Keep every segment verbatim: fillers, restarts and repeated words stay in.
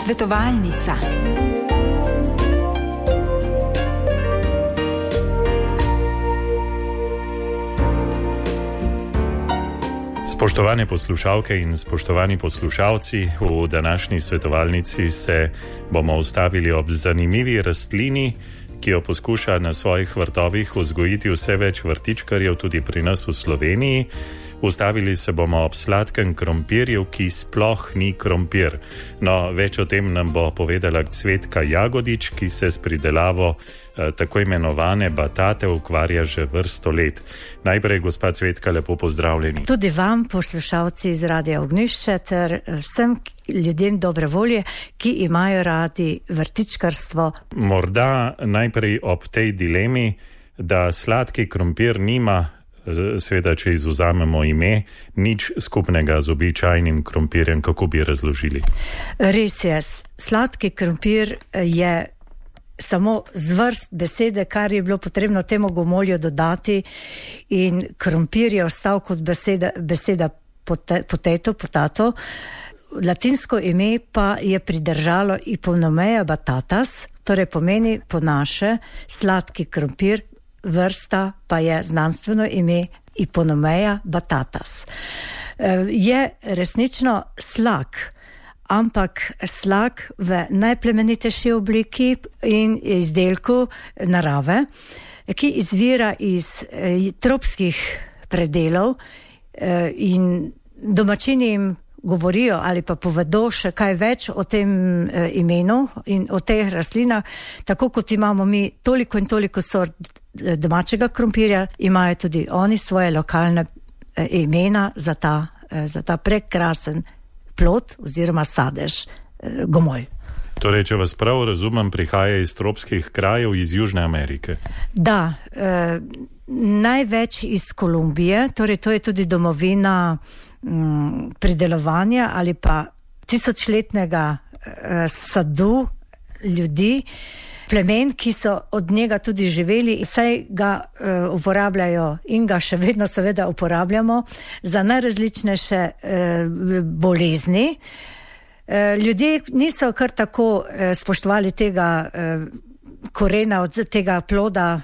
Svetovalnica. Spoštovane poslušalke in spoštovani poslušalci, v današnji svetovalnici se bomo ustavili ob zanimivi rastlini, ki jo poskuša na svojih vrtovih vzgojiti vse več vrtičkarjev tudi pri nas v Sloveniji. Ustavili se bomo ob sladkem krompirju, ki sploh ni krompir. No, več o tem nam bo povedala Cvetka Jagodič, ki se s pridelavo eh, tako imenovane batate ukvarja že vrsto let. Najprej, gospa Cvetka, lepo pozdravljeni. Tudi vam, poslušalci iz Radia Ognjišče, ter vsem ljudem dobre volje, ki imajo radi vrtičkarstvo. Morda najprej ob tej dilemi, da sladki krompir nima, seveda, če izvzamemo ime, nič skupnega z običajnim krompirjem, kako bi razložili? Res je, sladki krompir je samo zvrst besede, kar je bilo potrebno temu gomolju dodati, in krompir je ostal kot beseda, beseda potato, potato. Latinsko ime pa je pridržalo Iponomea batatas, torej pomeni po naše sladki krompir, vrsta pa je znanstveno ime Iponomea batatas. Je resnično slag, ampak slag v najplemenitejši obliki in izdelku narave, ki izvira iz tropskih predelov, in domačini jim govorijo ali pa povedo še kaj več o tem e, imenu in o teh rastlinah. Tako kot imamo mi toliko in toliko sort domačega krompirja, imajo tudi oni svoje lokalne e, imena za ta, e, za ta prekrasen plod oziroma sadež, e, gomolj. Torej, če vas prav razumem, prihaja iz tropskih krajev iz Južne Amerike. Da, e, največ iz Kolumbije, torej to je tudi domovina pridelovanja ali pa tisočletnega eh, sadu ljudi, plemen, ki so od njega tudi živeli, saj ga eh, uporabljajo in ga še vedno seveda uporabljamo za najrazličnejše eh, bolezni. Eh, ljudje niso kar tako eh, spoštovali tega eh, korena od tega ploda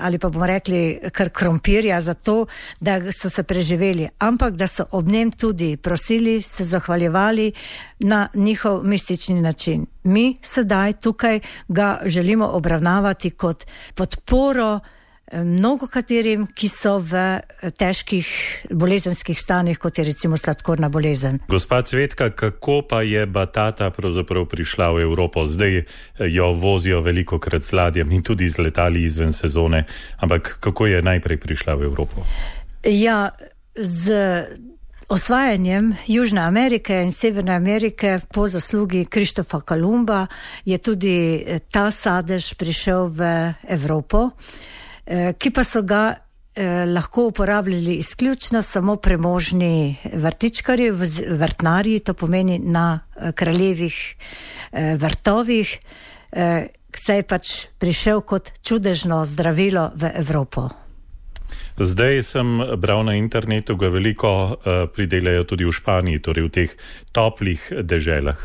ali pa bomo rekli kar krompirja za to, da so se preživeli, ampak da so ob njem tudi prosili, se zahvaljevali na njihov mistični način. Mi sedaj tukaj ga želimo obravnavati kot podporo mnogo katerim, ki so v težkih bolezenskih stanjih, kot je recimo sladkorna bolezen. Gospa Cvetka, kako pa je batata pravzaprav prišla v Evropo? Zdaj jo vozijo veliko krat z ladjem in tudi z letali izven sezone, ampak kako je najprej prišla v Evropo? Ja, z osvajanjem Južne Amerike in Severne Amerike po zaslugi Krištofa Kolumba je tudi ta sadež prišel v Evropo, ki pa so ga eh, lahko uporabljali izključno samo premožni vrtičkarji, vrtnarji, to pomeni na eh, kraljevih eh, vrtovih, eh, saj je pač prišel kot čudežno zdravilo v Evropo. Zdaj sem bral na internetu, ga veliko uh, pridelajo tudi v Španiji, torej v teh toplih deželah.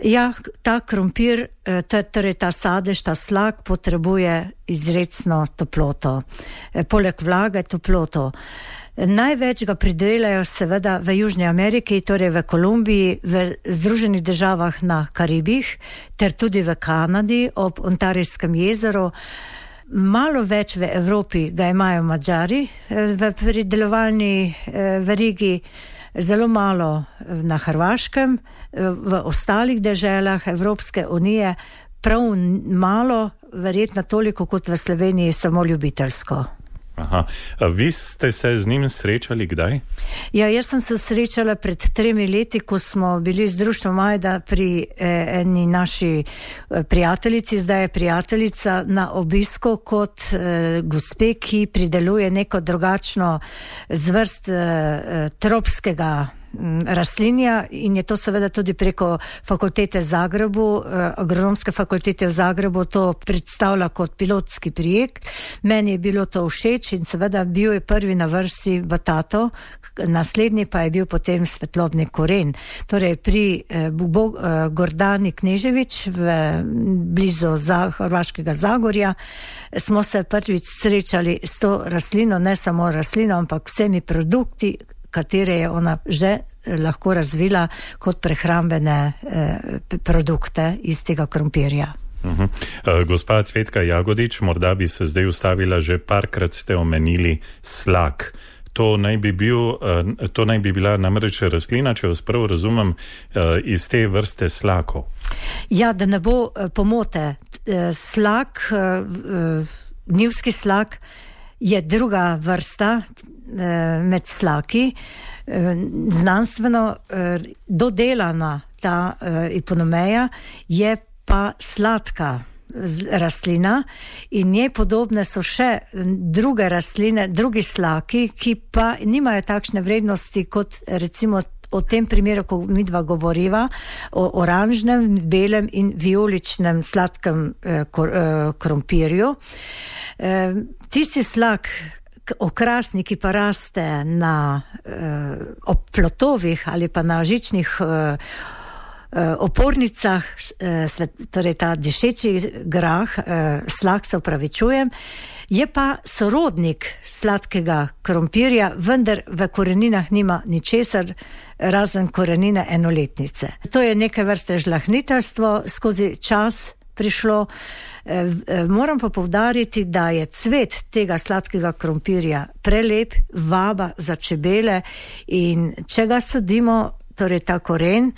Ja, ta krompir, torej ta sadež, ta slag potrebuje izrecno toploto. Poleg vlage toploto. Največ ga pridelajo seveda v Južni Ameriki, torej v Kolumbiji, v Združenih državah na Karibih, ter tudi v Kanadi ob Ontarijskem jezeru. Malo več v Evropi ga imajo Madžari v pridelovalni verigi, zelo malo na Hrvaškem, v ostalih deželah Evropske unije prav malo, verjetno toliko kot v Sloveniji, samo ljubiteljsko. Aha. Vi ste se z njim srečali kdaj? Ja, jaz sem se srečala pred tremi leti, ko smo bili z društvom Majda pri eh, eni naši prijateljici, zdaj je prijateljica, na obisku kot eh, gospe, ki prideluje neko drugačno zvrst eh, tropskega rastlinja in je to seveda tudi preko fakultete v Zagrebu, agronomske fakultete v Zagrebu to predstavlja kot pilotski projekt. Meni je bilo to všeč in seveda bil je prvi na vrsti batato, naslednji pa je bil potem svetlobni koren. Torej pri Gordani Kneževič v blizu Hrvaškega Zagorja smo se prvič srečali s to rastlino, ne samo rastlino, ampak vsemi produkti, katere je ona že lahko razvila kot prehrambene eh, produkte iz tega krompirja. Uh-huh. Uh, gospa Cvetka Jagodič, morda bi se zdaj ustavila, že parkrat ste omenili slak. To naj bi, bil, uh, to naj bi bila namreč rastlina, če vas prav razumem, uh, iz te vrste slakov. Ja, da ne bo uh, pomote. Uh, slak, uh, uh, njivski slak je druga vrsta med slaki, znanstveno dodelana ta iponomeja je pa sladka rastlina in njej podobne so še druge rastline, drugi slaki, ki pa nimajo takšne vrednosti kot recimo o tem primeru, ko mi dva govoriva, o oranžnem, belem in vijoličnem sladkem krompirju. Tisti slak, okrasni, ki pa raste na eh, ob plotovih ali pa na žičnih eh, opornicah, eh, svet, torej ta dišeči grah, eh, slak se opravičujem, je pa sorodnik sladkega krompirja, vendar v koreninah nima ničesar, razen korenine enoletnice. To je neke vrste žlahniteljstvo skozi čas prišlo. Moram pa poudariti, da je cvet tega sladkega krompirja prelep, vaba za čebele in če ga sadimo, torej ta koren,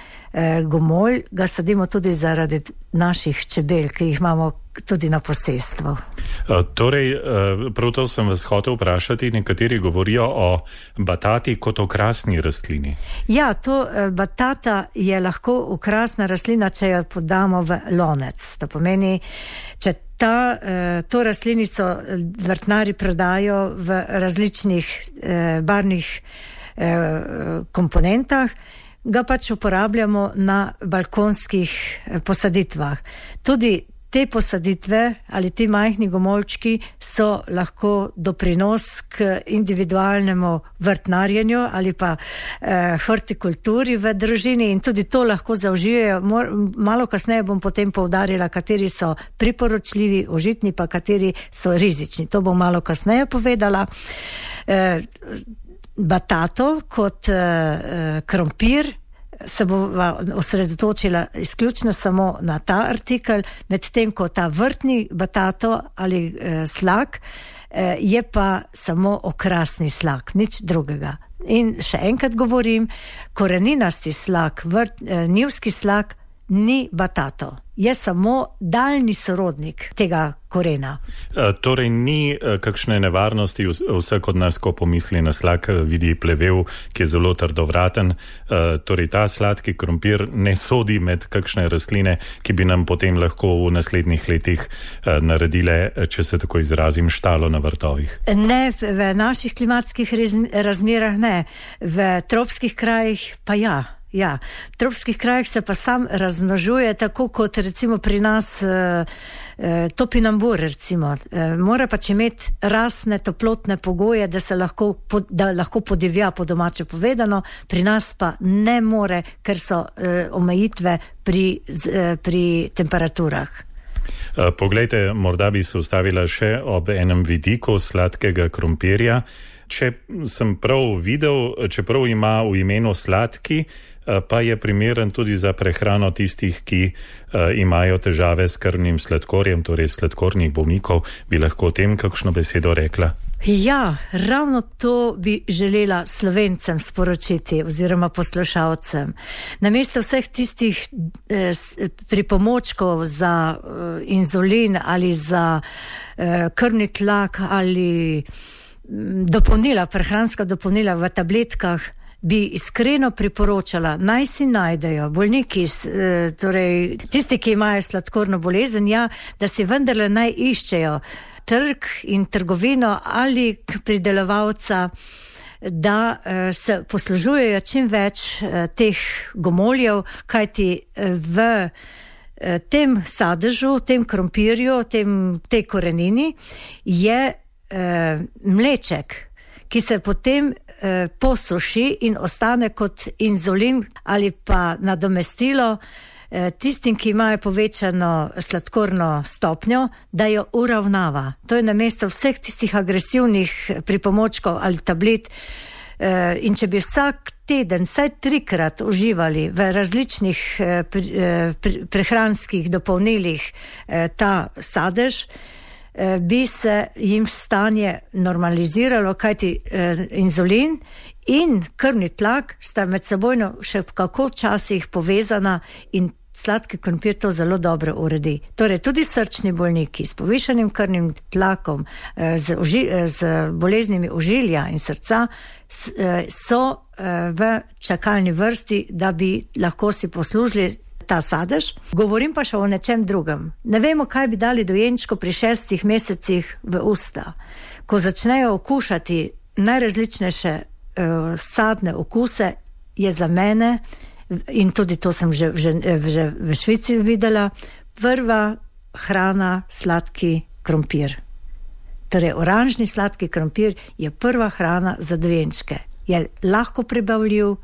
gomolj, ga sadimo tudi zaradi naših čebel, ki jih imamo tudi na posestvu. Torej, prav to sem vas hotel vprašati, nekateri govorijo o batati kot okrasni rastlini. Ja, to batata je lahko okrasna rastlina, če jo podamo v lonec. To pomeni, če ta, to rastlinico vrtnari prodajo v različnih barvnih komponentah, ga pač uporabljamo na balkonskih posaditvah. Tudi te posaditve ali ti majhni gomoljčki so lahko doprinos k individualnemu vrtnarjenju ali pa eh, hortikulturi v družini in tudi to lahko zaužijejo. Malo kasneje bom potem poudarila, kateri so priporočljivi, užitni, pa kateri so rizični. To bom malo kasneje povedala. Eh, Batato kot uh, krompir se bova osredotočila izključno samo na ta artikel, medtem ko ta vrtni batato ali uh, slak uh, je pa samo okrasni slak, nič drugega. In še enkrat govorim, koreninasti slak, vrt, uh, njivski slak ni batato, je samo daljni sorodnik tega korena. E, torej ni e, kakšne nevarnosti, vsak od nas, ko pomisli na slak, vidi plevel, ki je zelo trdovraten. E, torej ta sladki krompir ne sodi med kakšne rastline, ki bi nam potem lahko v naslednjih letih e, naredile, če se tako izrazim, štalo na vrtovih. Ne, v, v naših klimatskih razmerah ne, v tropskih krajih pa ja. Ja, v tropskih krajih se pa sam razmnožuje, tako kot recimo pri nas e, e, topinambur recimo. E, mora pač imeti rasne, toplotne pogoje, da se lahko, da lahko podivja, po domače povedano, pri nas pa ne more, ker so e, omejitve pri, e, pri temperaturah. Poglejte, morda bi se ustavila še ob enem vidiku sladkega krompirja. Če sem prav videl, čeprav ima v imenu sladki, pa je primeren tudi za prehrano tistih, ki uh, imajo težave s krvnim sladkorjem, torej sladkornih bolnikov. Bi lahko o tem kakšno besedo rekla? Ja, ravno to bi želela Slovencem sporočiti oziroma poslušalcem. Namesto vseh tistih eh, pripomočkov za eh, inzulin ali za eh, krvni tlak ali dopolnila, prehranska dopolnila v tabletkah, bi iskreno priporočala, naj si najdejo bolniki, torej tisti, ki imajo sladkorno bolezen, ja, da si vendarle naj iščejo trg in trgovino ali pridelovalca da se poslužujejo čim več teh gomoljev, kajti v tem sadežu, tem krompirju, tem, tej korenini je mleček, ki se potem posuši in ostane kot inzulin ali pa nadomestilo tistim, ki imajo povečano sladkorno stopnjo, da jo uravnava. To je namesto vseh tistih agresivnih pripomočkov ali tablet. In če bi vsak teden vsaj trikrat uživali v različnih prehranskih dopolnilih ta sadež, bi se jim stanje normaliziralo, kajti inzulin in krvni tlak sta med sebojno še kako včasih povezana in sladki krompir to zelo dobro uredi. Torej tudi srčni bolniki s povišanim krvnim tlakom, z, oži, z boleznimi ožilja in srca so v čakalni vrsti, da bi lahko si poslužili ta sadež. Govorim pa še o nečem drugem. Ne vemo, kaj bi dali dojenčku pri šestih mesecih v usta. Ko začnejo okušati najrazličnejše uh, sadne okuse, je za mene, in tudi to sem že, že, že v Švici videla, prva hrana sladki krompir. Torej, oranžni sladki krompir je prva hrana za dojenčke. Je lahko prebavljiv,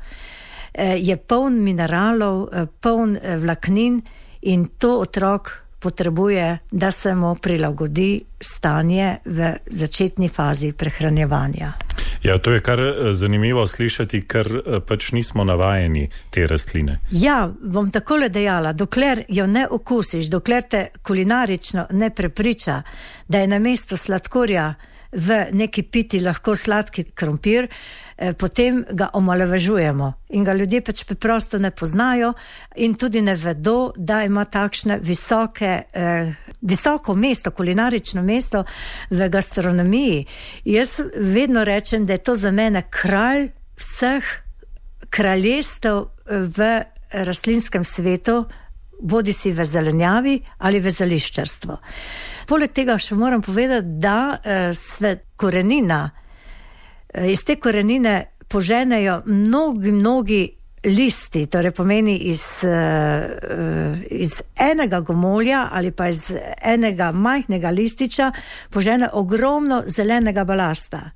je poln mineralov, poln vlaknin in to otrok potrebuje, da se mu prilagodi stanje v začetni fazi prehranjevanja. Ja, to je kar zanimivo slišati, ker pač nismo navajeni te rastline. Ja, bom takole dejala, dokler jo ne okusiš, dokler te kulinarično ne prepriča, da je namesto sladkorja v neki piti lahko sladki krompir, potem ga omalovažujemo in ga ljudje pač preprosto ne poznajo in tudi ne vedo, da ima takšne visoke, eh, visoko mesto, kulinarično mesto v gastronomiji. Jaz vedno rečem, da je to za mene kralj vseh kraljestev v rastlinskem svetu, bodi si v zelenjavi ali v zeliščarstvu. Poleg tega še moram povedati, da eh, sve korenina, iz te korenine poženejo mnogi, mnogi listi, torej pomeni iz, iz enega gomolja ali pa iz enega majhnega lističa požene ogromno zelenega balasta.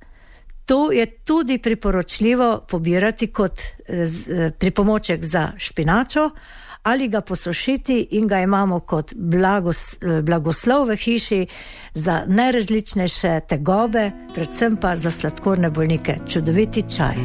To je tudi priporočljivo pobirati kot pripomoček za špinačo ali ga posušiti in ga imamo kot blagos, blagoslov v hiši za najrazličnejše tegobe, predvsem pa za sladkorne bolnike. Čudoviti čaj.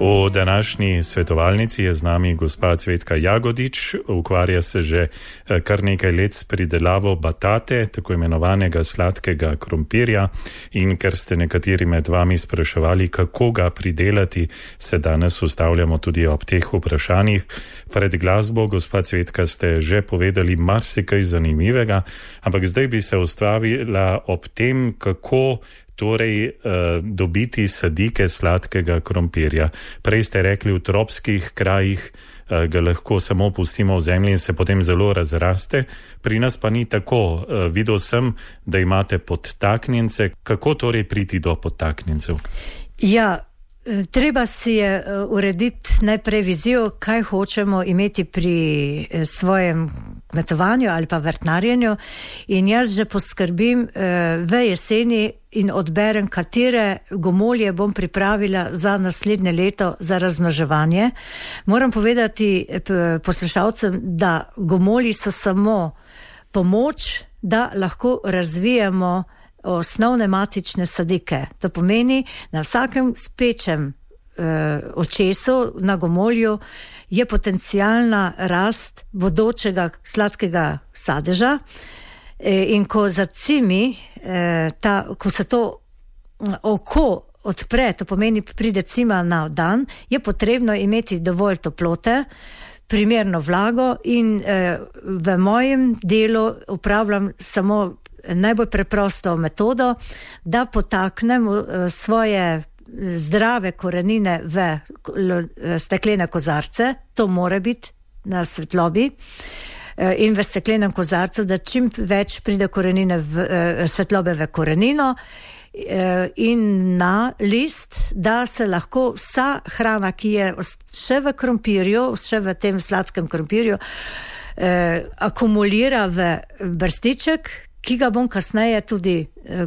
V današnji svetovalnici je z nami gospa Cvetka Jagodič, ukvarja se že kar nekaj let s pridelavo batate, tako imenovanega sladkega krompirja, in ker ste nekateri med vami spraševali, kako ga pridelati, se danes ustavljamo tudi ob teh vprašanjih. Pred glasbo, gospa Cvetka, ste že povedali marsikaj zanimivega, ampak zdaj bi se ustavila ob tem, kako torej uh, dobiti sadike sladkega krompirja. Prej ste rekli, v tropskih krajih uh, ga lahko samo pustimo v zemlji in se potem zelo razraste. Pri nas pa ni tako. Uh, videl sem, da imate podtaknjence. Kako torej priti do podtaknjencev? Ja, treba si je urediti najprej vizijo, kaj hočemo imeti pri svojem kmetovanju ali pa vrtnarjenju in jaz že poskrbim v jeseni in odberem, katere gomolje bom pripravila za naslednje leto za razmnoževanje. Moram povedati poslušalcem, da gomolji so samo pomoč, da lahko razvijamo osnovne matične sadike. To pomeni, na vsakem spečem eh, očesu na gomolju je potencijalna rast bodočega sladkega sadeža eh, in ko zacimi, eh, ta, ko se to oko odpre, to pomeni pride cima na dan, je potrebno imeti dovolj toplote, primerno vlago in eh, v mojem delu upravljam samo najbolj preprosto metodo, da potaknem eh, svoje zdrave korenine v steklene kozarce, to mora biti na svetlobi, eh, in v steklenem kozarcu, da čim več pride korenine v, eh, svetlobe v korenino in na list, da se lahko vsa hrana, ki je še v krompirju, še v tem sladkem krompirju, eh, akumulira v brstiček, ki ga bom kasneje tudi eh,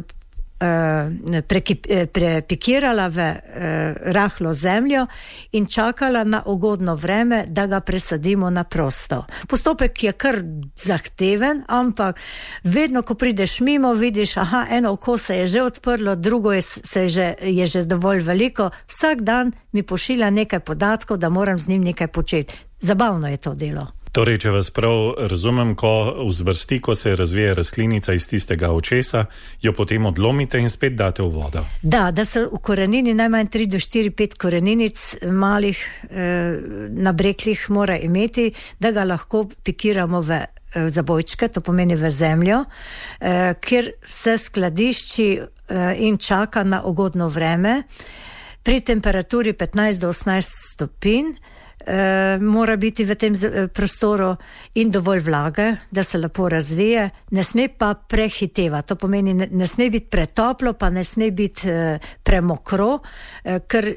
prepikirala v eh, rahlo zemljo in čakala na ugodno vreme, da ga presadimo na prosto. Postopek je kar zahteven, ampak vedno, ko prideš mimo, vidiš, aha, eno oko se je že odprlo, drugo je, se je, že, je že dovolj veliko. Vsak dan mi pošilja nekaj podatkov, da moram z njim nekaj početi. Zabavno je to delo. Torej, če vas prav razumem, ko vzbrsti, ko se razvije rastlinica iz tistega očesa, jo potem odlomite in spet date v vodo. Da, da se v korenini najmanj tri do štiri, pet koreninic malih eh, nabreklih mora imeti, da ga lahko pikiramo v eh, zabojčke, to pomeni v zemljo, eh, kjer se skladišči eh, in čaka na ugodno vreme. Pri temperaturi petnajst do osemnajst stopinj Uh, mora biti v tem prostoru in dovolj vlage, da se lepo razvije, ne sme pa prehiteva, to pomeni ne, ne sme biti pretoplo, pa ne sme biti uh, premokro, uh, ker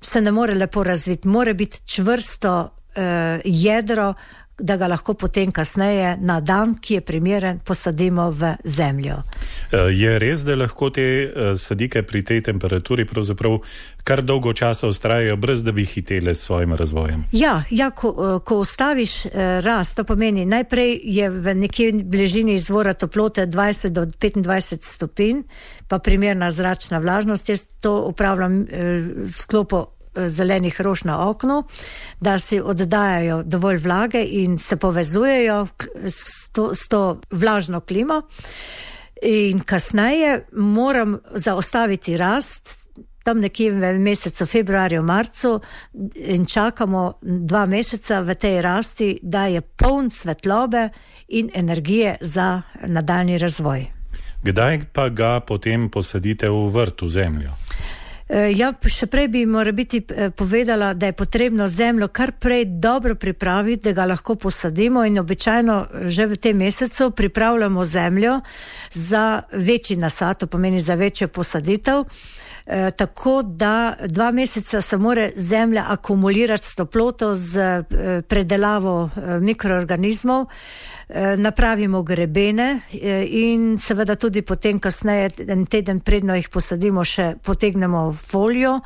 se ne more lepo razviti, mora biti čvrsto uh, jedro, da ga lahko potem kasneje na dan, ki je primeren, posadimo v zemljo. Je res, da lahko te sadike pri tej temperaturi pravzaprav kar dolgo časa vztrajajo, brez da bi hitele s svojim razvojem? Ja, ja ko, ko ustaviš rast, to pomeni, najprej je v nekje bližini izvora toplote dvajset do petindvajset stopinj, pa primerna zračna vlažnost. Jaz to upravljam v sklopu zelenih rož na oknu, da si oddajajo dovolj vlage in se povezujejo s to, s to vlažno klimo. In kasneje moram zaustaviti rast, tam nekje v mesecu februarju, marcu, in čakamo dva meseca v tej rasti, da je poln svetlobe in energije za nadaljnji razvoj. Kdaj pa ga potem posadite v vrt, v zemljo? Ja, še prej bi mora biti povedala, da je potrebno zemljo kar prej dobro pripraviti, da ga lahko posadimo, in običajno že v tem mesecu pripravljamo zemljo za večji nasad, to pomeni za večjo posaditev, e, tako da dva meseca se mora zemlja akumulirati s toploto, z e, predelavo e, mikroorganizmov, napravimo grebene in seveda tudi potem kasneje, en teden predno jih posadimo, še potegnemo folijo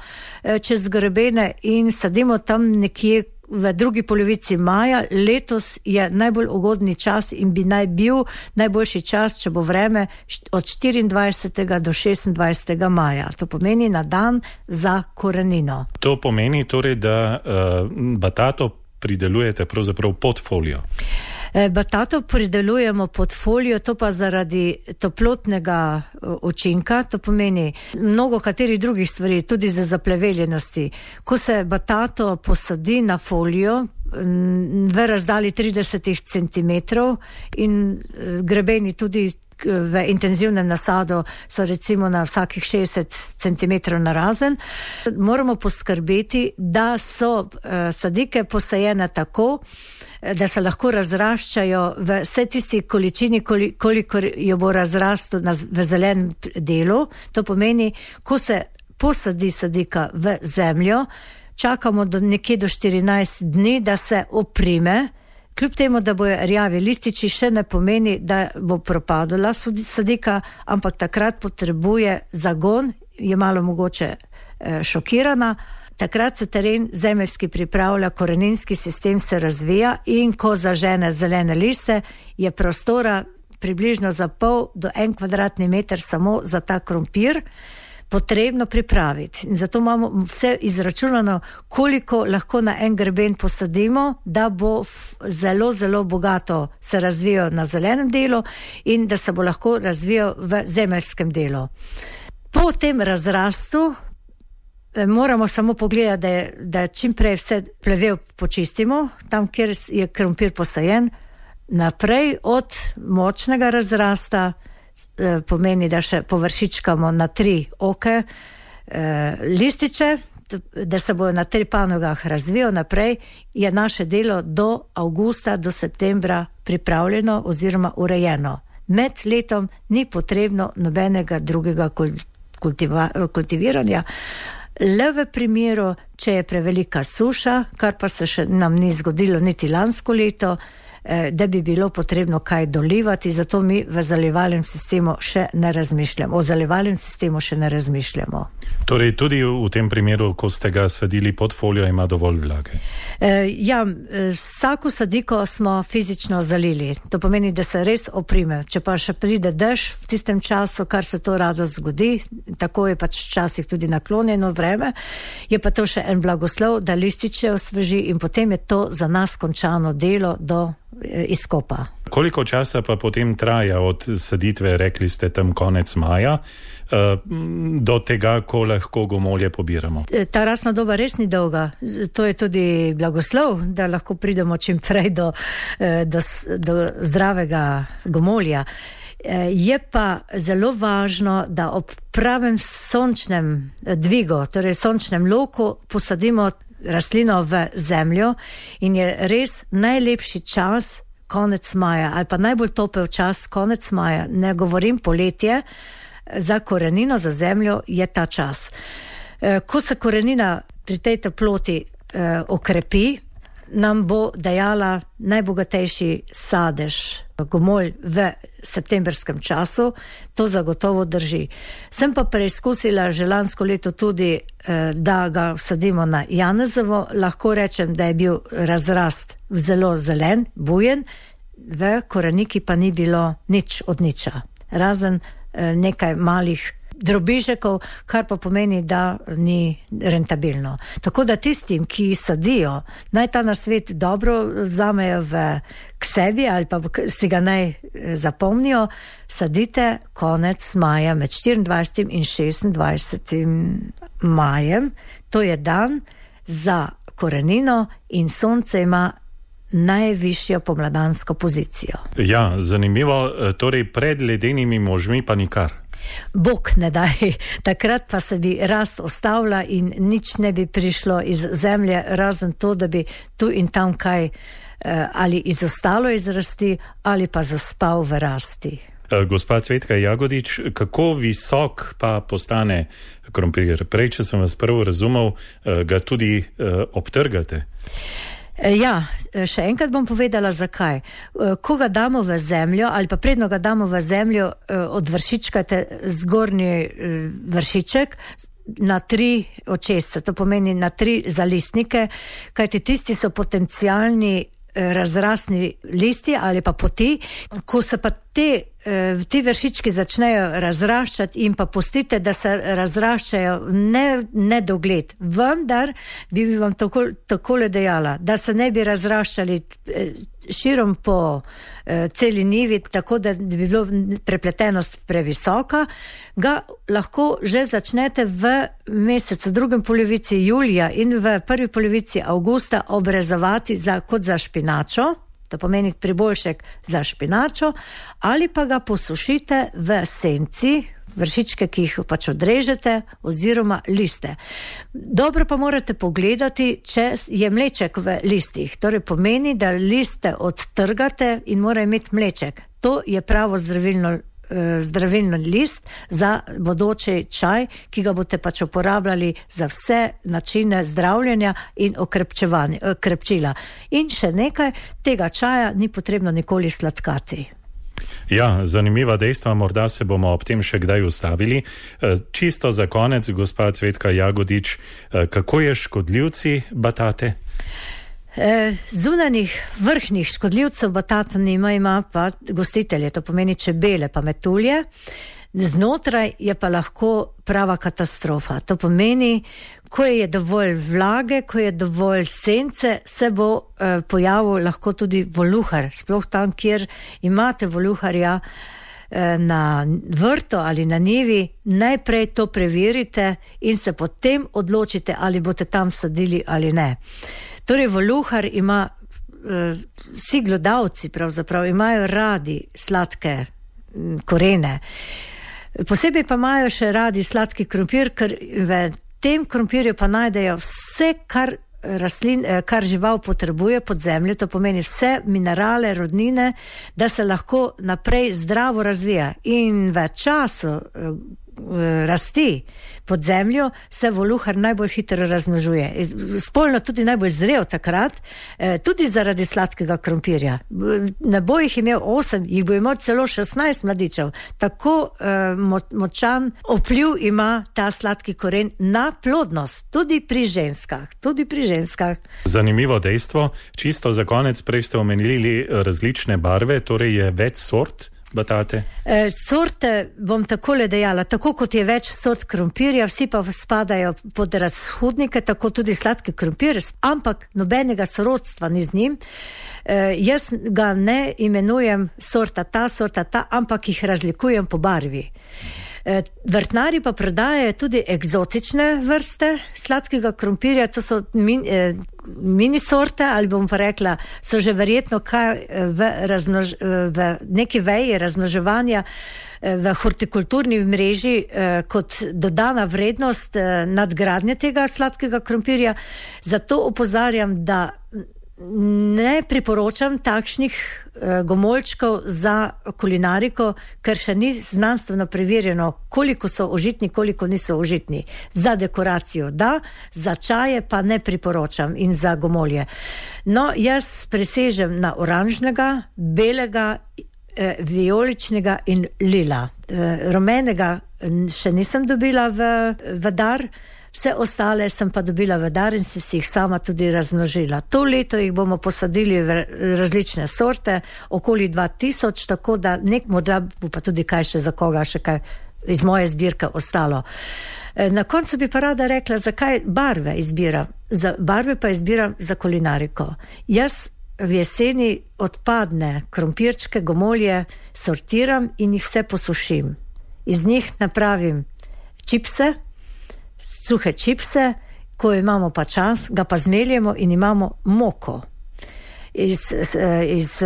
čez grebene in sadimo tam nekje v drugi polovici maja. Letos je najbolj ugodni čas in bi naj bil najboljši čas, če bo vreme, od štiriindvajsetega do šestindvajsetega maja. To pomeni na dan za korenino. To pomeni torej, da uh, batato pridelujete pravzaprav pod folijo. Batato pridelujemo pod folijo, to pa zaradi toplotnega učinka, to pomeni mnogo katerih drugih stvari, tudi za zapleveljenosti. Ko se batato posadi na folijo v razdalji trideset centimetrov in grebeni tudi v intenzivnem nasadu so recimo na vsakih šestdeset centimetrov narazen, moramo poskrbeti, da so sadike posajene tako, da se lahko razraščajo v vse tisti količini, kolikor jo bo razrastel v zelenem delu. To pomeni, ko se posadi sadika v zemljo, čakamo do nekje do štirinajst dni, da se oprime, kljub temu, da bojo rjavi lističi, še ne pomeni, da bo propadala sadika, ampak takrat potrebuje zagon, je malo mogoče šokirana. Takrat se teren zemeljski pripravlja, koreninski sistem se razvija in ko zažene zelene liste, je prostora približno za pol do en kvadratni meter samo za ta krompir potrebno pripraviti. In zato imamo vse izračunano, koliko lahko na en greben posadimo, da bo zelo, zelo bogato se razvijal na zelenem delu in da se bo lahko razvijal v zemeljskem delu. Po tem razrastu moramo samo pogledati, da, je, da čim prej vse plevel počistimo, tam, kjer je krompir posajen, naprej od močnega razrasta, pomeni, da še površičkamo na tri oke lističe, da se bojo na tri panogah razvijal naprej, je naše delo do avgusta, do septembra pripravljeno oziroma urejeno. Med letom ni potrebno nobenega drugega kultiva, kultiviranja, le v primeru, če je prevelika suša, kar pa se še nam ni zgodilo niti lansko leto, da bi bilo potrebno kaj dolivati, zato mi v zalivalnem sistemu še ne razmišljamo. O zalivalnem sistemu še ne razmišljamo. Torej tudi v tem primeru, ko ste ga sadili pod folijo, ima dovolj vlage? E, ja, vsako sadiko smo fizično zalili. To pomeni, da se res oprime. Če pa še pride dež v tistem času, kar se to rado zgodi, tako je pač včasih tudi naklonjeno vreme, je pa to še en blagoslov, da lističe osveži in potem je to za nas končano delo do izkopa. Koliko časa pa potem traja od saditve, rekli ste tam konec maja, do tega, ko lahko gomolje pobiramo? Ta rastna doba res ni dolga. To je tudi blagoslov, da lahko pridemo čim prej do, do, do zdravega gomolja. Je pa zelo važno, da ob pravem sončnem dvigu, torej sončnem loku, posadimo rastlino v zemljo in je res najlepši čas konec maja ali pa najbolj topel čas konec maja, ne govorim poletje, za korenino, za zemljo je ta čas. Ko se korenina pri tej toploti okrepi, nam bo dajala najbogatejši sadež, gomolj v septembrskem času, to zagotovo drži. Sem pa preizkusila že lansko leto tudi, da ga vsadimo na janezovo, lahko rečem, da je bil razrast zelo zelen, bujen, v koreniki pa ni bilo nič od niča, razen nekaj malih drobižekov, kar pa pomeni, da ni rentabilno. Tako da tistim, ki sadijo, naj ta nasvet dobro vzamejo v, k sebi ali pa si ga naj zapomnijo, sadite konec maja med štiriindvajsetim in šestindvajsetim majem. To je dan za korenino in sonce ima najvišjo pomladansko pozicijo. Ja, zanimivo, torej pred ledenimi možmi pa nikar. Bog ne daj, takrat pa se bi rast ostavila in nič ne bi prišlo iz zemlje, razen to, da bi tu in tam kaj eh, ali izostalo iz rasti ali pa zaspal v rasti. Gospa Cvetka Jagodič, kako visok pa postane krompir? Prej, če sem vas prvo razumel, ga tudi eh, obtrgate. Ja, še enkrat bom povedala, zakaj. Ko ga damo v zemljo ali pa predno ga damo v zemljo, odvršičkate zgornji vršiček na tri očesce, to pomeni na tri zalistnike, kajti tisti so potencialni razrastni listi ali pa poti. Ko se pa te, ti vršički začnejo razraščati in pa pustite, da se razraščajo ne, ne dogled, vendar bi vam tako, takole dejala, da se ne bi razraščali širom po celi nivi, tako da bi bilo prepletenost previsoka, ga lahko že začnete v mesecu, drugem polovici julija in v prvi polovici avgusta obrezovati za, kot za špinačo, to pomeni priboljšek za špinačo, ali pa ga posušite v senci, vršičke, ki jih pač odrežete, oziroma liste. Dobro pa morate pogledati, če je mleček v listih. Torej pomeni, da liste odtrgate in mora imeti mleček. To je pravo zdravilno zdravilni list za bodoči čaj, ki ga boste pač uporabljali za vse načine zdravljenja in okrepčila. In še nekaj, tega čaja ni potrebno nikoli sladkati. Ja, zanimiva dejstva, morda se bomo ob tem še kdaj ustavili. Čisto za konec, gospa Cvetka Jagodič, kako je škodljivci batate? Zunanih vrhnih škodljivcev batata nima, ima pa gostitelje, to pomeni čebele pa metulje. Znotraj je pa lahko prava katastrofa. To pomeni, ko je dovolj vlage, ko je dovolj sence, se bo eh, pojavil lahko tudi voluhar. Sploh tam, kjer imate voluharja eh, na vrtu ali na njivi, najprej to preverite in se potem odločite, ali boste tam sadili ali ne. Torej, voluhar ima, eh, vsi glodavci pravzaprav imajo radi sladke m, korene. Posebej pa imajo še radi sladki krompir, ker v tem krompirju pa najdejo vse, kar rastlin, kar žival potrebuje pod zemljo, to pomeni vse minerale, rodnine, da se lahko naprej zdravo razvija. In v času rasti pod zemljo se voluhar najbolj hitro razmnožuje. Spolno tudi najbolj zrel takrat, tudi zaradi sladkega krompirja. Ne bo jih imel osem, jih bo imel celo šestnajst mladičev. Tako močan vpliv ima ta sladki koren na plodnost, tudi pri ženskah. Tudi pri ženskah. Zanimivo dejstvo, čisto za konec, prej ste omenili različne barve, torej je več sort batate? E, sorte bom takole dejala, tako kot je več sort krompirja, vsi pa spadajo pod razhudnike, tako tudi sladki krompir, ampak nobenega sorodstva ni z njim. E, jaz ga ne imenujem sorta ta, sorta ta, ampak jih razlikujem po barvi. E, vrtnari pa prodajajo tudi eksotične vrste sladkega krompirja, to so min, e, mini sorte, ali bom pa rekla, so že verjetno kaj v, razmnož, v neki veji razmnoževanja v hortikulturni mreži kot dodana vrednost nadgradnje tega sladkega krompirja. Zato opozarjam, da ne priporočam takšnih gomoljčkov za kulinariko, ker še ni znanstveno preverjeno, koliko so užitni, koliko niso užitni. Za dekoracijo da, za čaje pa ne priporočam in za gomolje. No, jaz presežem na oranžnega, belega, eh, vijoličnega in lila. Eh, rumenega še nisem dobila v, v dar, vse ostale sem pa dobila v dar in si jih sama tudi razmnožila. To leto jih bomo posadili v različne sorte, okoli dva tisoč, tako da nek morda bo pa tudi kaj še za koga, še kaj iz moje zbirke ostalo. Na koncu bi pa rada rekla, zakaj barve izbiram. Za barve pa izbiram za kulinariko. Jaz v jeseni odpadne krompirčke, gomolje sortiram in jih vse posušim. Iz njih napravim čipse, suhe čipse, ko imamo pa čas, ga pa zmeljemo in imamo moko. Iz, iz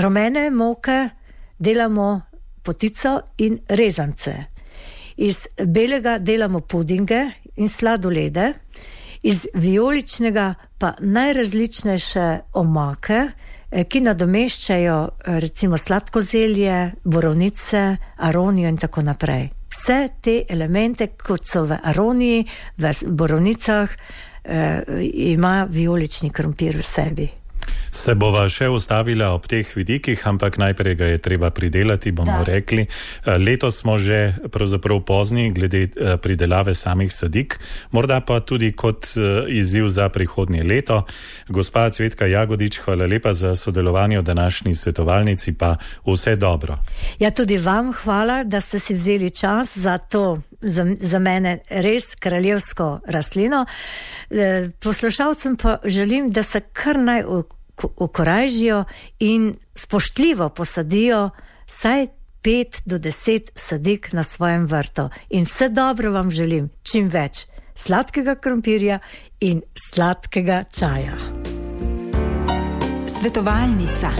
rumene moke delamo potico in rezance. Iz belega delamo pudinge in sladolede, iz vijoličnega pa najrazličnejše omake, ki nadomeščajo recimo sladko zelje, borovnice, aronijo in tako naprej. Vse te elemente, kot so v aroniji, v borovnicah, eh, ima vijolični krompir v sebi. Se bova še ustavila ob teh vidikih, ampak najprej ga je treba pridelati, bomo da. rekli. Letos smo že pravzaprav pozni glede pridelave samih sadik, morda pa tudi kot izziv za prihodnje leto. Gospa Cvetka Jagodič, hvala lepa za sodelovanje v današnji svetovalnici, pa vse dobro. Ja, tudi vam hvala, da ste si vzeli čas za to, za, za mene res kraljevsko rastlino. Poslušalcem pa želim, da se kar naj ukorajžijo in spoštljivo posadijo saj pet do deset sadik na svojem vrtu. In vse dobro vam želim, čim več sladkega krompirja in sladkega čaja. Svetovalnica.